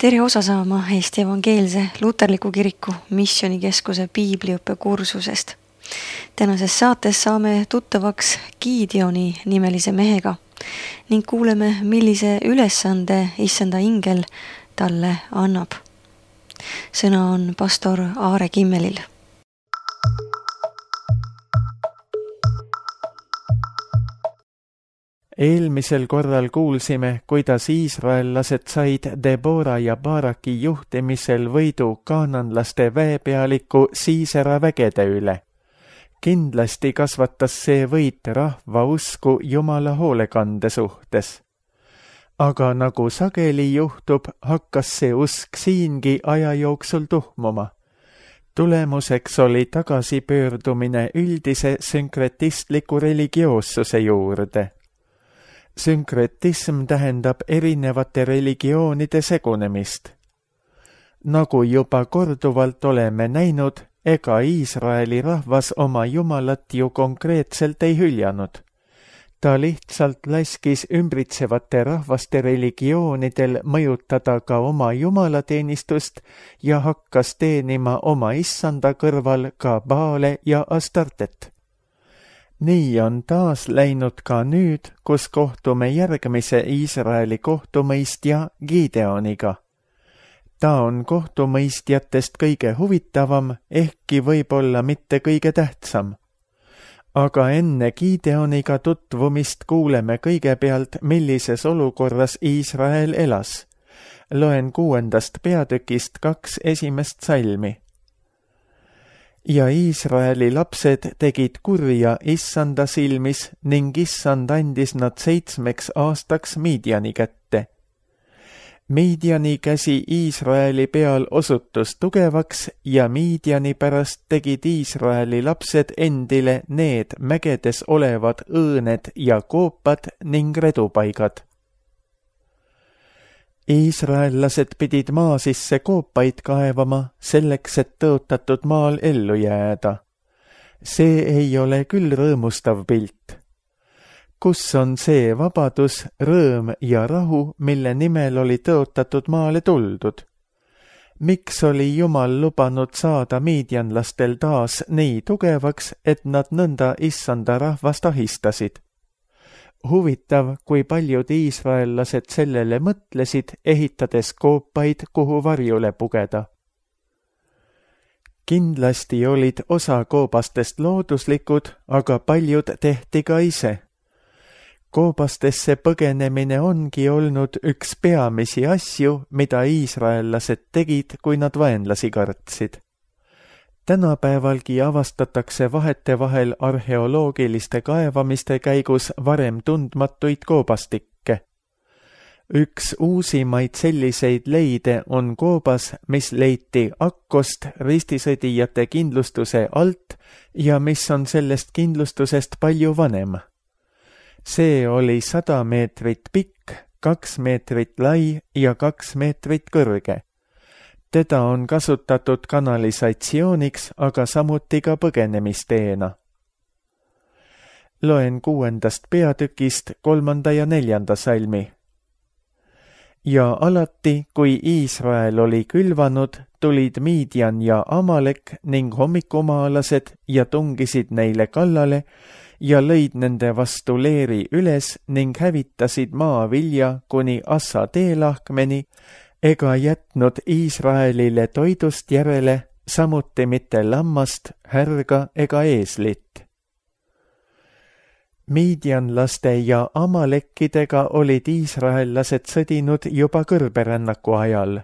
Tere osa saama Eesti Evangeelse Luterliku Kiriku Missioonikeskuse piibliõppe kursusest. Tänases saates saame tuttavaks Gideoni nimelise mehega ning kuuleme, millise ülesande Issanda ingel talle annab. Sõna on pastor Aare Kimmelil. Eelmisel korral kuulsime, kuidas iisraellased said Debora ja Baraki juhtimisel võidu kaananlaste väepealiku Siisera vägede üle. Kindlasti kasvatas see võit rahva usku Jumala hoolekande suhtes. Aga nagu sageli juhtub, hakkas see usk siingi aja jooksul tuhmuma. Tulemuseks oli tagasipöördumine üldise sünkretistliku religioossuse juurde. Sünkretism tähendab erinevate religioonide segunemist. Nagu juba korduvalt oleme näinud, ega Iisraeli rahvas oma Jumalat ju konkreetselt ei hüljanud. Ta lihtsalt laskis ümbritsevate rahvaste religioonidel mõjutada ka oma jumalateenistust ja hakkas teenima oma issanda kõrval ka Baale ja Astartet. Nii on taas läinud ka nüüd, kus kohtume järgmise Iisraeli kohtumõistja Gideoniga. Ta on kohtumõistjatest kõige huvitavam, ehkki võib-olla mitte kõige tähtsam. Aga enne Gideoniga tutvumist kuuleme kõigepealt, millises olukorras Iisrael elas. Loen 6. peatükist 2 esimest salmi. Ja Iisraeli lapsed tegid kurja Issanda silmis ning Issand andis nad 7 aastaks Midiani kätte. Midiani käsi Iisraeli peal osutus tugevaks ja Midiani pärast tegid Iisraeli lapsed endile need mägedes olevad õõned ja koopad ning redupaigad. Iisraellased pidid maa sisse koopaid kaevama selleks, et tõotatud maal ellu jääda. See ei ole küll rõõmustav pilt. Kus on see vabadus, rõõm ja rahu, mille nimel oli tõotatud maale tuldud? Miks oli Jumal lubanud saada miidjanlastel taas nii tugevaks, et nad nõnda Issanda rahvast ahistasid? Huvitav, kui paljud iisraellased sellele mõtlesid, ehitades koopaid, kuhu varjule pugeda. Kindlasti olid osa koobastest looduslikud, aga paljud tehti ka ise. Koobastesse põgenemine ongi olnud üks peamisi asju, mida iisraellased tegid, kui nad vaenlasi kartsid. Tänapäevalgi avastatakse vahetevahel arheoloogiliste kaevamiste käigus varem tundmatuid koobastikke. Üks uusimaid selliseid leide on koobas, mis leiti Akkost ristisõdijate kindlustuse alt ja mis on sellest kindlustusest palju vanem. See oli 100 meetrit pikk, 2 meetrit lai ja 2 meetrit kõrge. Teda on kasutatud kanalisatsiooniks, aga samuti ka põgenemisteena. Loen 6. peatükist 3. ja 4. salmi. Ja alati, kui Iisrael oli külvanud, tulid Midian ja Amalek ning hommikumaalased ja tungisid neile kallale ja lõid nende vastu leeri üles ning hävitasid maavilja kuni Assa teelahkmeni, ega jätnud Iisraelile toidust järele, samuti mitte lammast, härga ega eeslit. Midianlaste ja amalekkidega olid iisraellased sõdinud juba kõrberännaku ajal.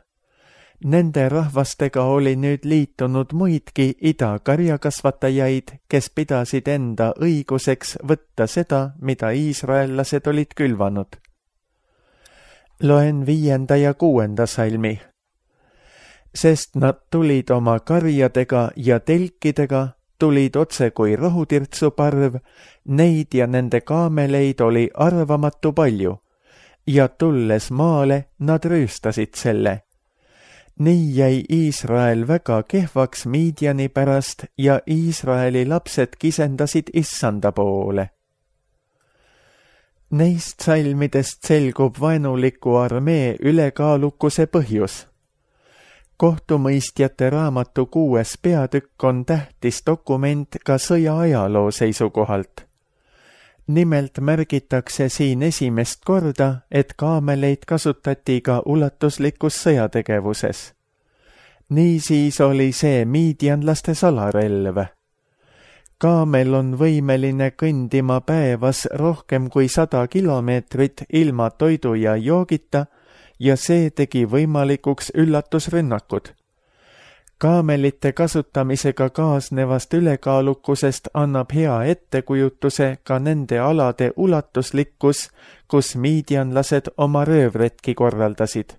Nende rahvastega oli nüüd liitunud muidki idakarjakasvatajaid, kes pidasid enda õiguseks võtta seda, mida iisraellased olid külvanud. Loen 5. ja 6. salmi. Sest nad tulid oma karjadega ja telkidega, tulid otse kui rohutirtsuparv, neid ja nende kaameleid oli arvamatu palju, ja tulles maale nad rüüstasid selle. Nii jäi Iisrael väga kehvaks Midiani pärast ja Iisraeli lapsed kisendasid Issanda poole. Neist salmidest selgub vaenuliku armee ülekaalukuse põhjus. kohtumõistjate raamatu 6. peatükk on tähtis dokument ka sõja ajaloo seisukohalt. Nimelt märgitakse siin esimest korda, et kaameleid kasutati ka ulatuslikus sõjategevuses. Niisiis oli see miidianlaste salarelv. Kaamel on võimeline kõndima päevas rohkem kui 100 kilomeetrit ilma toidu ja joogita ja see tegi võimalikuks üllatusrünnakud. Kaamelite kasutamisega kaasnevast ülekaalukusest annab hea ettekujutuse ka nende alade ulatuslikkus, kus miidianlased oma röövretki korraldasid.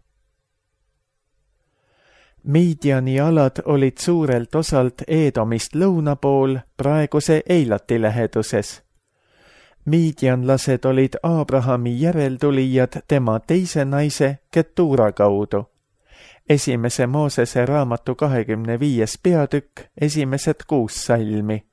Miidiani alad olid suurelt osalt Eedomist lõuna pool praeguse Eilati läheduses. Miidianlased olid Abrahami järeltulijad tema teise naise Ketura kaudu. Esimese Moosese raamatu 25. peatükk, esimesed 6 salmi.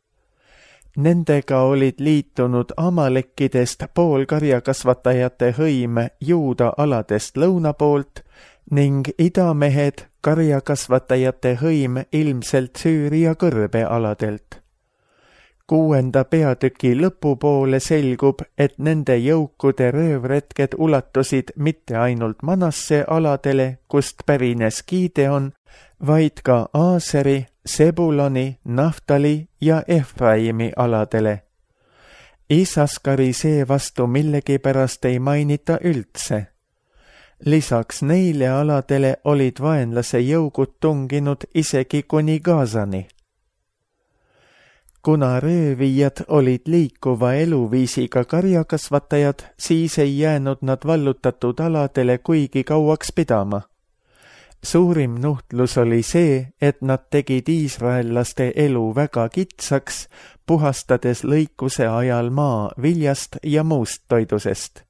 Nendega olid liitunud Amalekkidest poolkarjakasvatajate hõim Juuda aladest lõuna poolt ning idamehed karjakasvatajate hõim ilmselt Süüria kõrbealadelt. 6. peatüki lõpupoole selgub, et nende jõukude röövretked ulatusid mitte ainult Manasse aladele, kust pärines Gideon, vaid ka Aaseri, Sebuloni, Naftali ja Efraimi aladele. Isaskari seevastu millegipärast ei mainita üldse. Lisaks neile aladele olid vaenlase jõugud tunginud isegi kuni Gazani. Kuna röövijad olid liikuva eluviisiga karjakasvatajad, siis ei jäänud nad vallutatud aladele kuigi kauaks pidama. Suurim nuhtlus oli see, et nad tegid iisraellaste elu väga kitsaks, puhastades lõikuse ajal maa viljast ja muust toidusest.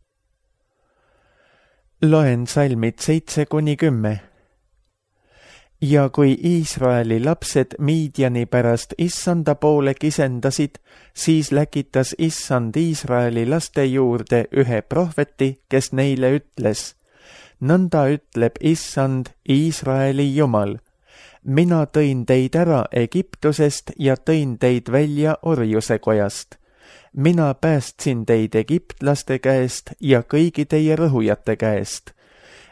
Loen salmid 7-10. Ja kui Iisraeli lapsed Miidiani pärast Issanda poole kisendasid, siis läkitas Issand Iisraeli laste juurde ühe prohveti, kes neile ütles: nõnda ütleb Issand, Iisraeli Jumal, mina tõin teid ära Egiptusest ja tõin teid välja orjuse kojast. Mina päästsin teid egiptlaste käest ja kõigi teie rõhujate käest.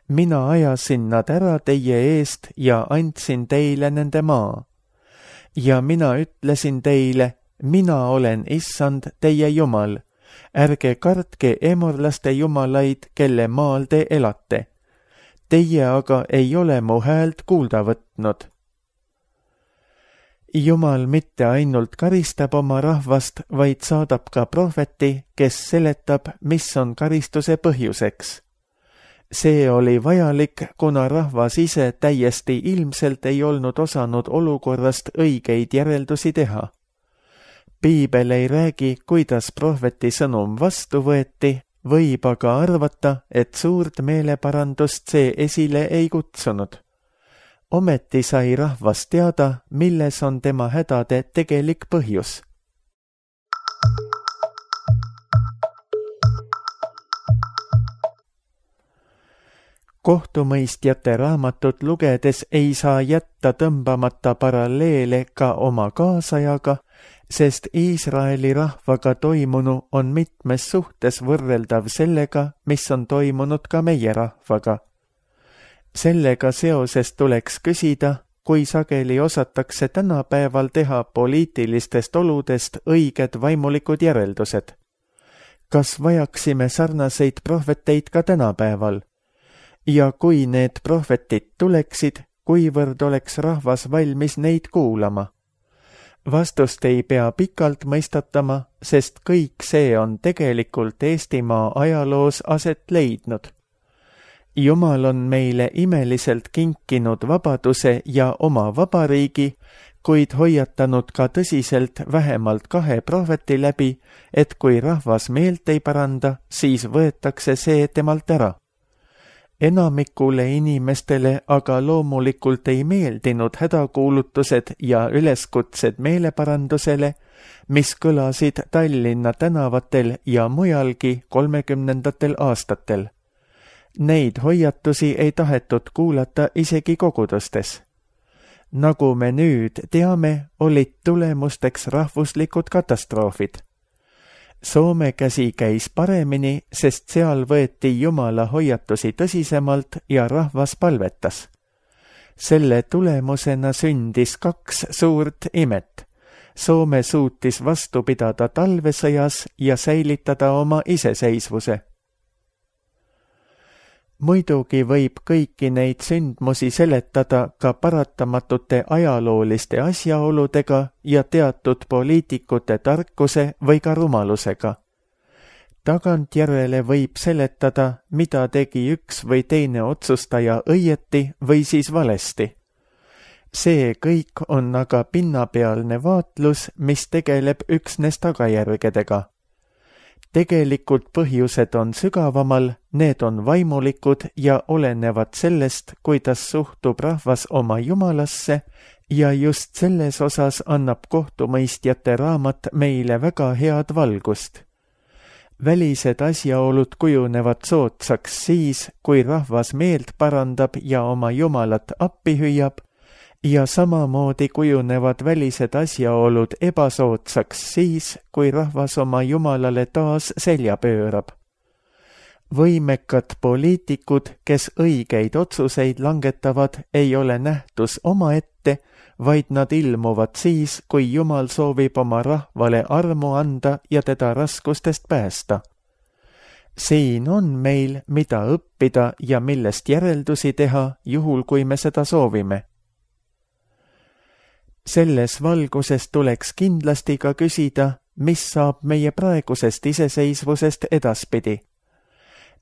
Mina ajasin nad ära teie eest ja andsin teile nende maa. Ja mina ütlesin teile, mina olen Issand teie Jumal. Ärge kartke emorlaste jumalaid, kelle maal te elate. Teie aga ei ole mu häält kuulda võtnud. Jumal mitte ainult karistab oma rahvast, vaid saadab ka prohveti, kes seletab, mis on karistuse põhjuseks. See oli vajalik, kuna rahvas ise täiesti ilmselt ei olnud osanud olukorrast õigeid järeldusi teha. Piibel ei räägi, kuidas prohveti sõnum vastu võeti, võib aga arvata, et suurt meeleparandust see esile ei kutsunud. Ometi sai rahvas teada, milles on tema hädade tegelik põhjus. Kohtumõistjate raamatut lugedes ei saa jätta tõmbamata paralleele ka oma kaasajaga, sest Iisraeli rahvaga toimunu on mitmes suhtes võrreldav sellega, mis on toimunud ka meie rahvaga. Sellega seoses tuleks küsida, kui sageli osatakse tänapäeval teha poliitilistest oludest õiged vaimulikud järeldused. Kas vajaksime sarnaseid prohveteid ka tänapäeval? Ja kui need prohvetid tuleksid, kuivõrd oleks rahvas valmis neid kuulama? Vastust ei pea pikalt mõistatama, sest kõik see on tegelikult Eestimaa ajaloos aset leidnud. Jumal on meile imeliselt kinkinud vabaduse ja oma vabariigi, kuid hoiatanud ka tõsiselt vähemalt 2 prohveti läbi, et kui rahvas meelt ei paranda, siis võetakse see temalt ära. Enamikule inimestele aga loomulikult ei meeldinud hädakuulutused ja üleskutsed meeleparandusele, mis kõlasid Tallinna tänavatel ja mujalgi 30. aastatel. Neid hoiatusi ei tahetud kuulata isegi kogudustes. Nagu me nüüd teame, olid tulemusteks rahvuslikud katastroofid. Soome käsi käis paremini, sest seal võeti Jumala hoiatusi tõsisemalt ja rahvas palvetas. Selle tulemusena sündis 2 suurt imet. Soome suutis vastu pidada talvesõjas ja säilitada oma iseseisvuse. Muidugi võib kõiki neid sündmusi seletada ka paratamatute ajalooliste asjaoludega ja teatud poliitikute tarkuse või ka rumalusega. Tagantjärele võib seletada, mida tegi üks või teine otsustaja õieti või siis valesti. See kõik on aga pinnapealne vaatlus, mis tegeleb üksnes tagajärgedega. Tegelikult põhjused on sügavamal, need on vaimulikud ja olenevad sellest, kuidas suhtub rahvas oma Jumalasse ja just selles osas annab kohtumõistjate raamat meile väga head valgust. Välised asjaolud kujunevad soodsaks siis, kui rahvas meelt parandab ja oma Jumalat appi hüüab, ja samamoodi kujunevad välised asjaolud ebasoodsaks siis, kui rahvas oma Jumalale taas selja pöörab. Võimekad poliitikud, kes õigeid otsuseid langetavad, ei ole nähtus omaette, vaid nad ilmuvad siis, kui Jumal soovib oma rahvale armu anda ja teda raskustest päästa. Siin on meil, mida õppida ja millest järeldusi teha, juhul kui me seda soovime. Selles valguses tuleks kindlasti ka küsida, mis saab meie praegusest iseseisvusest edaspidi.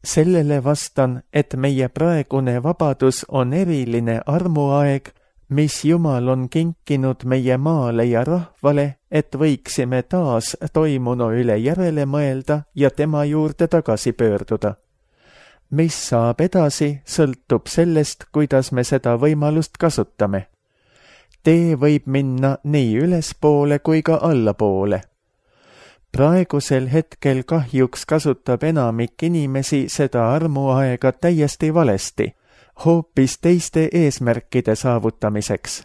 Sellele vastan, et meie praegune vabadus on eriline armuaeg, mis Jumal on kinkinud meie maale ja rahvale, et võiksime taas toimunu üle järele mõelda ja tema juurde tagasi pöörduda. Mis saab edasi, sõltub sellest, kuidas me seda võimalust kasutame. Tee võib minna nii ülespoole kui ka allapoole. Praegusel hetkel kahjuks kasutab enamik inimesi seda armuaega täiesti valesti, hoopis teiste eesmärkide saavutamiseks.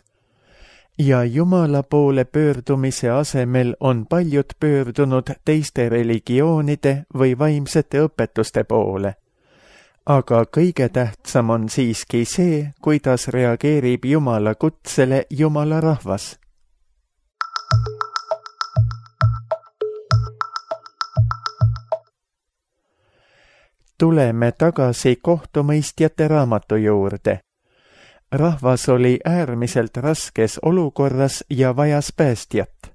Ja Jumala poole pöördumise asemel on paljud pöördunud teiste religioonide või vaimsete õpetuste poole. Aga kõige tähtsam on siiski see, kuidas reageerib Jumala kutsele Jumala rahvas. Tuleme tagasi kohtumõistjate raamatu juurde. Rahvas oli äärmiselt raskes olukorras ja vajas päästjat.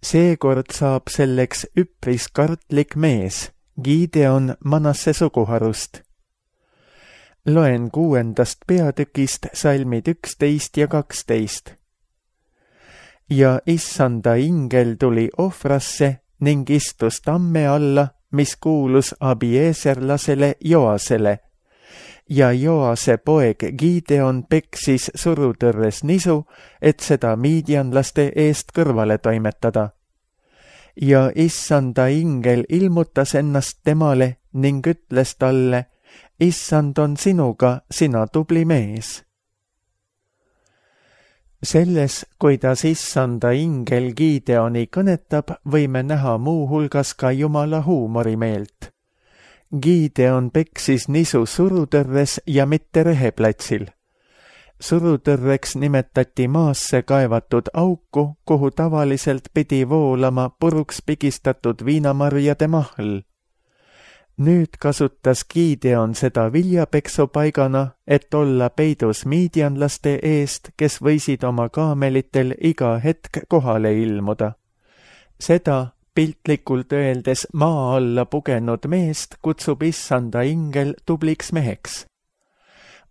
Seekord saab selleks üpris kartlik mees, Gideon Manasse suguharust. Loen 6. peatükist salmid 11 ja 12. Ja issanda ingel tuli ohvrasse ning istus tamme alla, mis kuulus Abieserlasele Joasele, ja Joase poeg Gideon peksis surutõrres nisu, et seda miidianlaste eest kõrvale toimetada. Ja issanda ingel ilmutas ennast temale ning ütles talle, issand on sinuga, sina tubli mees. Selles, kuidas issanda ingel Gideoni kõnetab, võime näha muu hulgas ka Jumala huumorimeelt. Gideon peksis nisu surutõrres ja mitte reheplatsil. Surutõrreks nimetati maasse kaevatud auku, kuhu tavaliselt pidi voolama puruks pigistatud viinamarjade mahl. Nüüd kasutas Gideon seda viljapeksupaigana, et olla peidus miidianlaste eest, kes võisid oma kaamelitel iga hetk kohale ilmuda. Seda piltlikult öeldes maa alla pugenud meest kutsub issanda ingel tubliks meheks.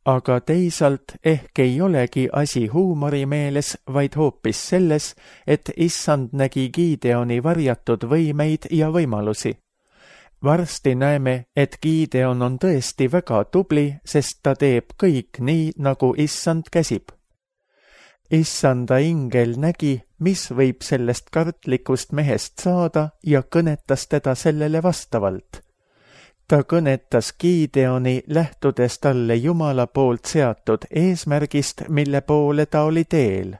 Aga teisalt ehk ei olegi asi huumorimeeles, vaid hoopis selles, et issand nägi Gideoni varjatud võimeid ja võimalusi. Varsti näeme, et Gideon on tõesti väga tubli, sest ta teeb kõik nii, nagu issand käsib. Issanda ingel nägi, mis võib sellest kartlikust mehest saada ja kõnetas teda sellele vastavalt. Ta kõnetas Gideoni, lähtudes talle Jumala poolt seatud eesmärgist, mille poole ta oli teel.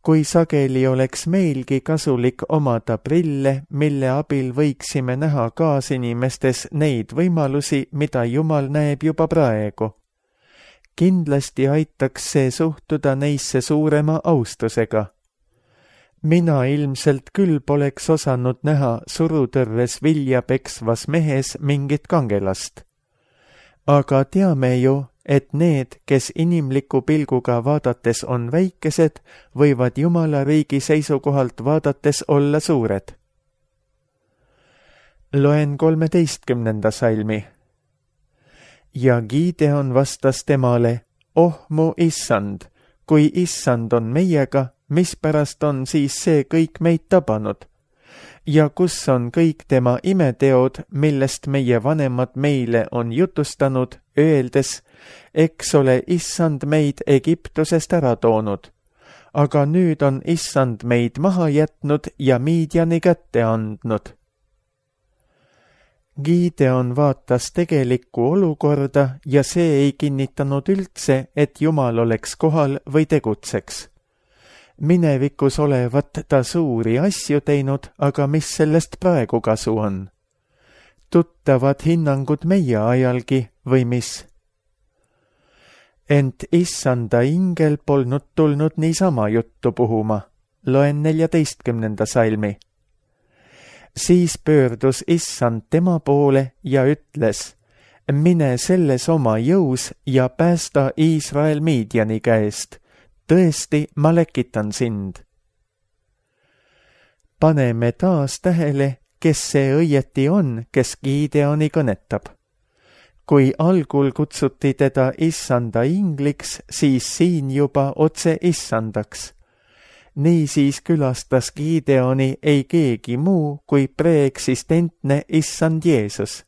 Kui sageli oleks meilgi kasulik omada prille, mille abil võiksime näha kaasinimestes neid võimalusi, mida Jumal näeb juba praegu. Kindlasti aitaks see suhtuda neisse suurema austusega. Mina ilmselt küll poleks osanud näha surutõrres vilja peksvas mehes mingit kangelast. Aga teame ju, et need, kes inimliku pilguga vaadates on väikesed, võivad Jumala riigi seisukohalt vaadates olla suured. Loen 13. salmi. Ja Gideon vastas temale, oh mu issand, kui issand on meiega, mispärast on siis see kõik meid tabanud? Ja kus on kõik tema imeteod, millest meie vanemad meile on jutustanud, öeldes, eks ole issand meid Egiptusest ära toonud, aga nüüd on issand meid maha jätnud ja Midiani kätte andnud. Gideon vaatas tegelikku olukorda ja see ei kinnitanud üldse, et Jumal oleks kohal või tegutseks. Minevikus olevat ta suuri asju teinud, aga mis sellest praegu kasu on? Tuttavad hinnangud meie ajalgi või mis? Ent issanda ingel polnud tulnud niisama juttu puhuma. Loen 14. salmi. Siis pöördus issand tema poole ja ütles, mine selles oma jõus ja päästa Iisrael Midiani käest. Tõesti, ma lekitan sind. Paneme taas tähele, kes see õieti on, kes Gideoni kõnetab. Kui algul kutsuti teda issanda ingliks, siis siin juba otse issandaks. Niisiis külastas Gideoni ei keegi muu kui preeksistentne issand Jeesus.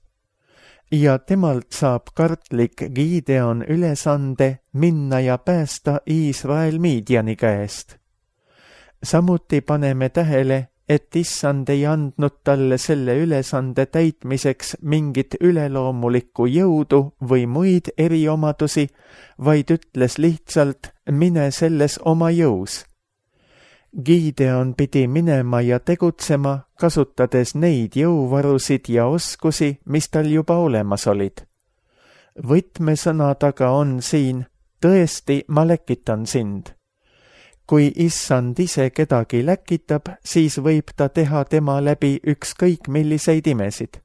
Ja temalt saab kartlik Gideon ülesande minna ja päästa Iisrael Midiani käest. Samuti paneme tähele, et issand ei andnud talle selle ülesande täitmiseks mingit üleloomulikku jõudu või muid eriomadusi, vaid ütles lihtsalt, mine selles oma jõus. Gideon pidi minema ja tegutsema, kasutades neid jõuvarusid ja oskusi, mis tal juba olemas olid. Võtmesõnad aga on siin, tõesti, ma läkitan sind. Kui issand ise kedagi läkitab, siis võib ta teha tema läbi ükskõik milliseid imesid.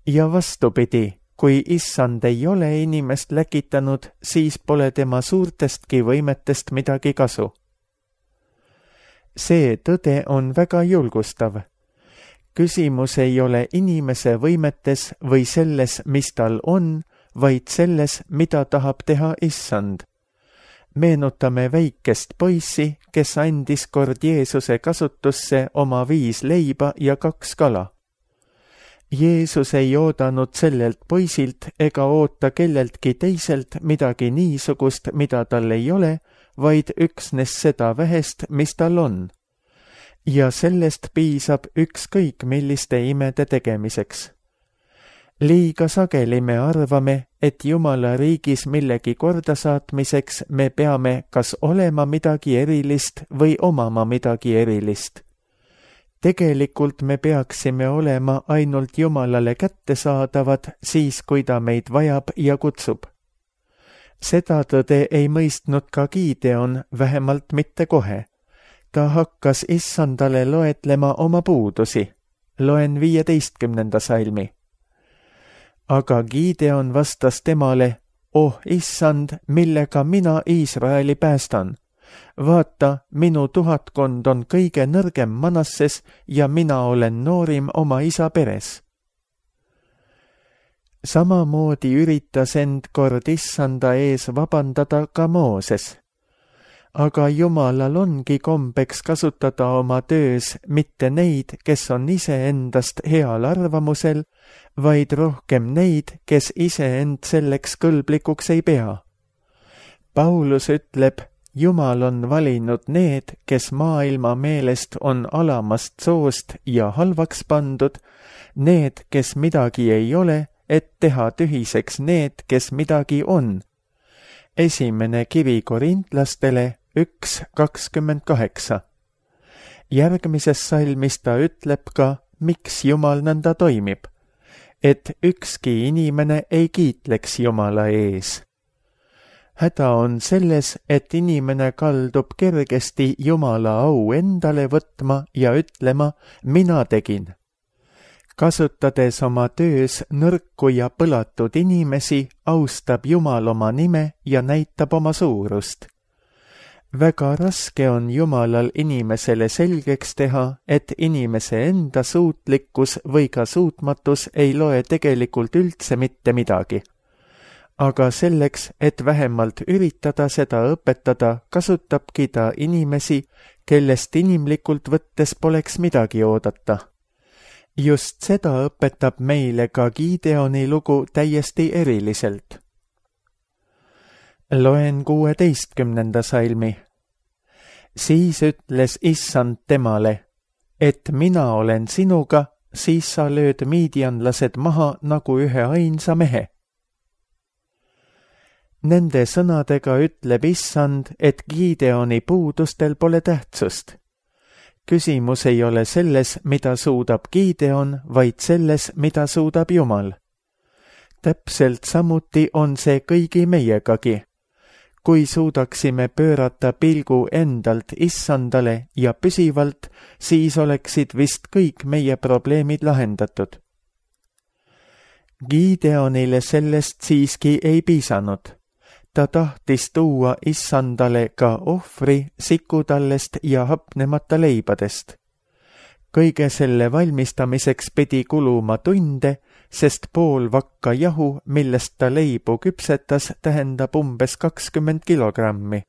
Ja vastupidi, kui issand ei ole inimest läkitanud, siis pole tema suurtestki võimetest midagi kasu. See tõde on väga julgustav. Küsimus ei ole inimese võimetes või selles, mis tal on, vaid selles, mida tahab teha issand. Meenutame väikest poissi, kes andis kord Jeesuse kasutusse oma 5 leiba ja 2 kala. Jeesus ei oodanud sellelt poisilt ega oota kelleltki teiselt midagi niisugust, mida tal ei ole, vaid üksnes seda vähest, mis tal on. Ja sellest piisab ükskõik milliste imede tegemiseks. Liiga sageli me arvame, et Jumala riigis millegi kordasaatmiseks me peame kas olema midagi erilist või omama midagi erilist. Tegelikult me peaksime olema ainult Jumalale kättesaadavad siis, kui ta meid vajab ja kutsub. Seda tõde ei mõistnud ka Gideon, vähemalt mitte kohe. Ta hakkas issandale loetlema oma puudusi. Loen 15. salmi. Aga Gideon vastas temale, oh issand, millega mina Iisraeli päästan. Vaata, minu 1000 on kõige nõrgem Manasses ja mina olen noorim oma isa peres. Samamoodi üritas end kord issanda ees vabandada ka Mooses. Aga Jumalal ongi kombeks kasutada oma töös mitte neid, kes on iseendast heal arvamusel, vaid rohkem neid, kes iseend selleks kõlblikuks ei pea. Paulus ütleb, Jumal on valinud need, kes maailma meelest on alamast soost ja halvaks pandud, need, kes midagi ei ole, et teha tühiseks need, kes midagi on. Esimene kiri Korintlastele 1:28. Järgmises salmis ta ütleb ka, miks Jumal nõnda toimib, et ükski inimene ei kiitleks Jumala ees. Häda on selles, et inimene kaldub kergesti Jumala au endale võtma ja ütlema, mina tegin. Kasutades oma töös nõrku ja põlatud inimesi, austab Jumal oma nime ja näitab oma suurust. Väga raske on Jumalal inimesele selgeks teha, et inimese enda suutlikkus või ka suutmatus ei loe tegelikult üldse mitte midagi. Aga selleks, et vähemalt üritada seda õpetada, kasutabki ta inimesi, kellest inimlikult võttes poleks midagi oodata. Just seda õpetab meile ka Gideoni lugu täiesti eriliselt. Loen 16. salmi. Siis ütles Issand temale, et mina olen sinuga, siis sa lööd miidianlased maha nagu ühe ainsa mehe. Nende sõnadega ütleb Issand, et Gideoni puudustel pole tähtsust. Küsimus ei ole selles, mida suudab Gideon, vaid selles, mida suudab Jumal. Täpselt samuti on see kõigi meiegagi. Kui suudaksime pöörata pilgu endalt Issandale ja püsivalt, siis oleksid vist kõik meie probleemid lahendatud. Gideonile sellest siiski ei piisanud. Ta tahtis tuua Issandale ka ohvri sikutallest ja hapnemata leibadest. Kõige selle valmistamiseks pidi kuluma tunde, sest pool vakka jahu, millest ta leibu küpsetas, tähendab umbes 20 kilogrammi.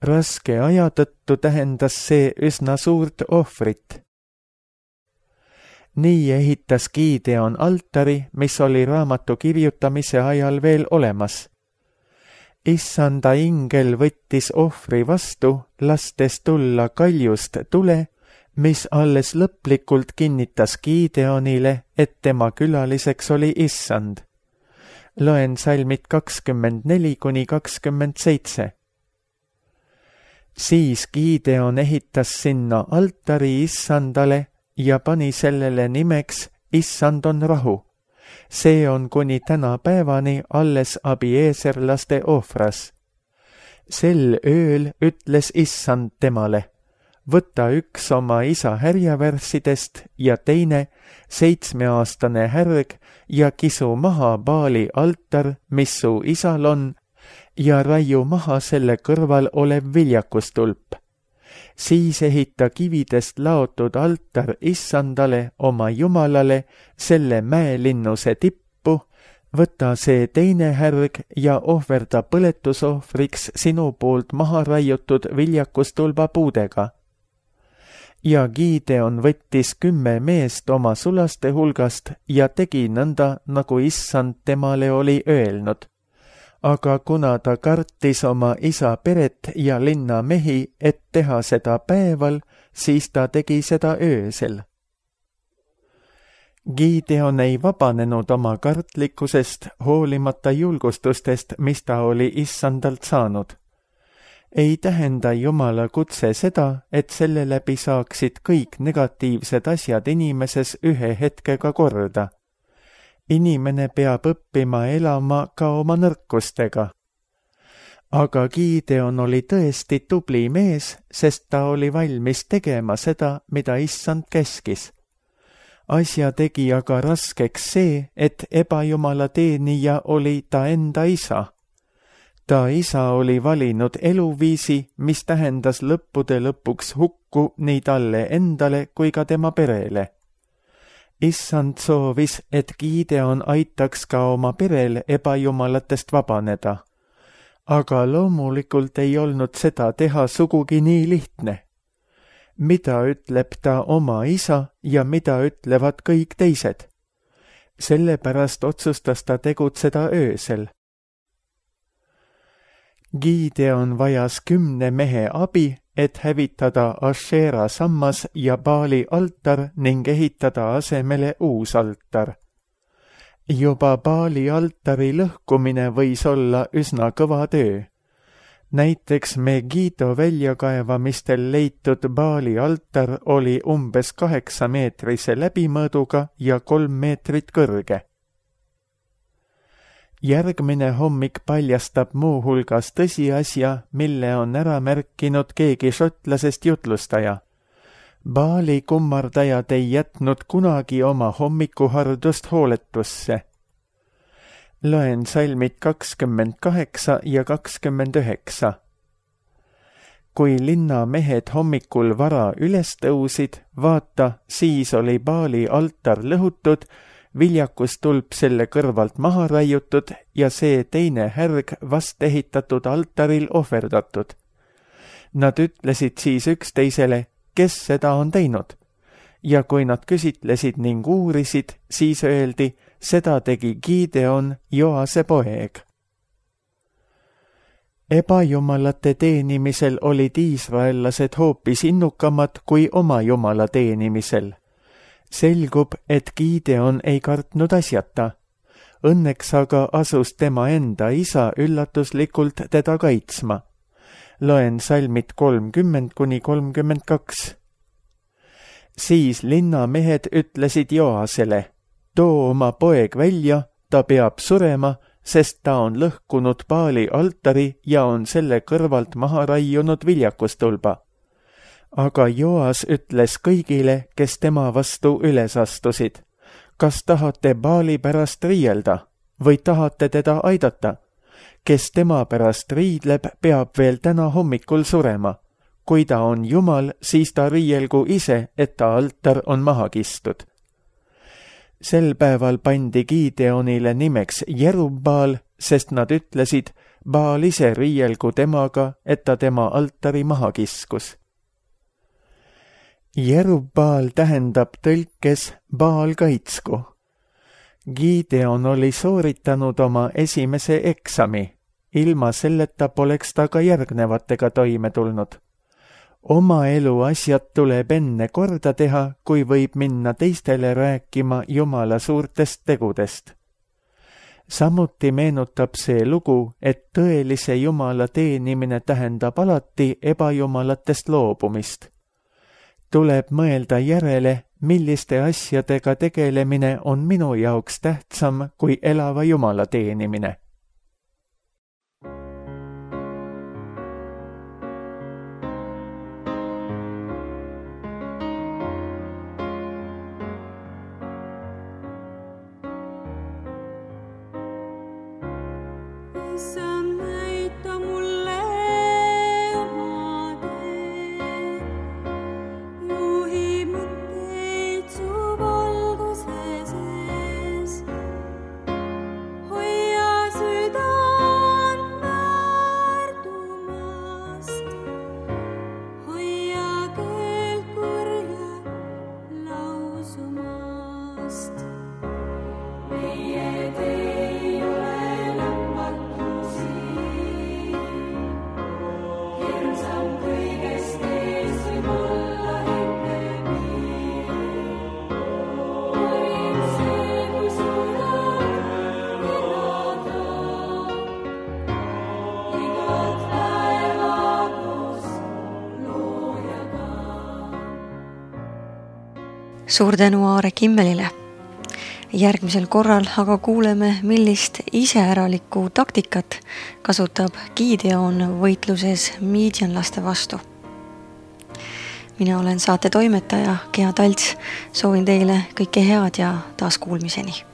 Raske aja tõttu tähendas see üsna suurt ohvrit. Nii ehitas Gideon altari, mis oli raamatu kirjutamise ajal veel olemas. Issanda ingel võttis ohvri vastu, lastes tulla kaljust tule, mis alles lõplikult kinnitas Gideonile, et tema külaliseks oli Issand. Loen salmid 24–27. Siis Gideon ehitas sinna altari Issandale ja pani sellele nimeks Issand on rahu. See on kuni tänapäevani alles abieeserlaste ohvras. Sel ööl ütles Issand temale, võta üks oma isa härjavärssidest ja teine 7-aastane härg ja kisu maha Baali altar, mis su isal on, ja raiu maha selle kõrval olev viljakustulp. Siis ehita kividest laotud altar Issandale oma Jumalale selle mäelinnuse tippu, võta see teine härg ja ohverda põletusohvriks sinu poolt maha raiutud viljakustulba puudega. Ja Gideon võttis 10 meest oma sulaste hulgast ja tegi nõnda, nagu Issand temale oli öelnud. Aga kuna ta kartis oma isa peret ja linna mehi, et teha seda päeval, siis ta tegi seda öösel. Gideon ei vabanenud oma kartlikkusest, hoolimata julgustustest, mis ta oli Issandalt saanud. Ei tähenda Jumala kutse seda, et selle läbi saaksid kõik negatiivsed asjad inimeses ühe hetkega korda. Inimene peab õppima elama ka oma nõrkustega. Aga Gideon oli tõesti tubli mees, sest ta oli valmis tegema seda, mida Issand käskis. Asja tegi aga raskeks see, et ebajumala teenija oli ta enda isa. Ta isa oli valinud eluviisi, mis tähendas lõppude lõpuks hukku nii talle endale kui ka tema perele. Issand soovis, et Gideon aitaks ka oma perel ebajumalatest vabaneda. Aga loomulikult ei olnud seda teha sugugi nii lihtne. Mida ütleb ta oma isa ja mida ütlevad kõik teised? Sellepärast otsustas ta tegutseda öösel. Gideon vajas 10 mehe abi, et hävitada Ashera sammas ja Baali altar ning ehitada asemele uus altar. Juba Baali altari lõhkumine võis olla üsna kõva töö. Näiteks Megiddo väljakaevamistel leitud Baali altar oli umbes 8-meetrise läbimõõduga ja 3 meetrit kõrge. Järgmine hommik paljastab muuhulgas tõsiasja, mille on ära märkinud keegi šotlasest jutlustaja. Baali kummardajad ei jätnud kunagi oma hommikuhardust hooletusse. Loen salmid 28 ja 29. Kui linna mehed hommikul vara üles tõusid, vaata, siis oli Baali altar lõhutud, viljakustulp selle kõrvalt maha raiutud ja see teine härg vast ehitatud altaril ohverdatud. Nad ütlesid siis üksteisele, kes seda on teinud. Ja kui nad küsitlesid ning uurisid, siis öeldi, seda tegi Gideon, Joase poeg. Ebajumalate teenimisel olid iisraellased hoopis innukamad kui oma jumala teenimisel. Selgub, et Gideon ei kartnud asjata. Õnneks aga asus tema enda isa üllatuslikult teda kaitsma. Loen salmid 30-32. Siis linnamehed ütlesid Joasele, too oma poeg välja, ta peab surema, sest ta on lõhkunud Baali altari ja on selle kõrvalt maha raiunud viljakustulba. Aga Joas ütles kõigile, kes tema vastu üles astusid, kas tahate Baali pärast riielda või tahate teda aidata? Kes tema pärast riidleb, peab veel täna hommikul surema. Kui ta on jumal, siis ta riielgu ise, et ta altar on maha kistud. Sel päeval pandi Gideonile nimeks Jerubbaal, sest nad ütlesid, Baal ise riielgu temaga, et ta tema altari maha kiskus. Jerubbaal tähendab tõlkes Baal kaitsku. Gideon oli sooritanud oma esimese eksami. Ilma selleta poleks ta ka järgnevatega toime tulnud. Oma elu asjad tuleb enne korda teha, kui võib minna teistele rääkima Jumala suurtest tegudest. Samuti meenutab see lugu, et tõelise Jumala teenimine tähendab alati ebajumalatest loobumist. Tuleb mõelda järele, milliste asjadega tegelemine on minu jaoks tähtsam kui elava Jumala teenimine. Suur tänu Aare Kimmelile. Järgmisel korral aga kuuleme, millist iseäralikku taktikat kasutab Gideon võitluses miidjanlaste vastu. Mina olen saate toimetaja Gea Talts, soovin teile kõike head ja taas kuulmiseni.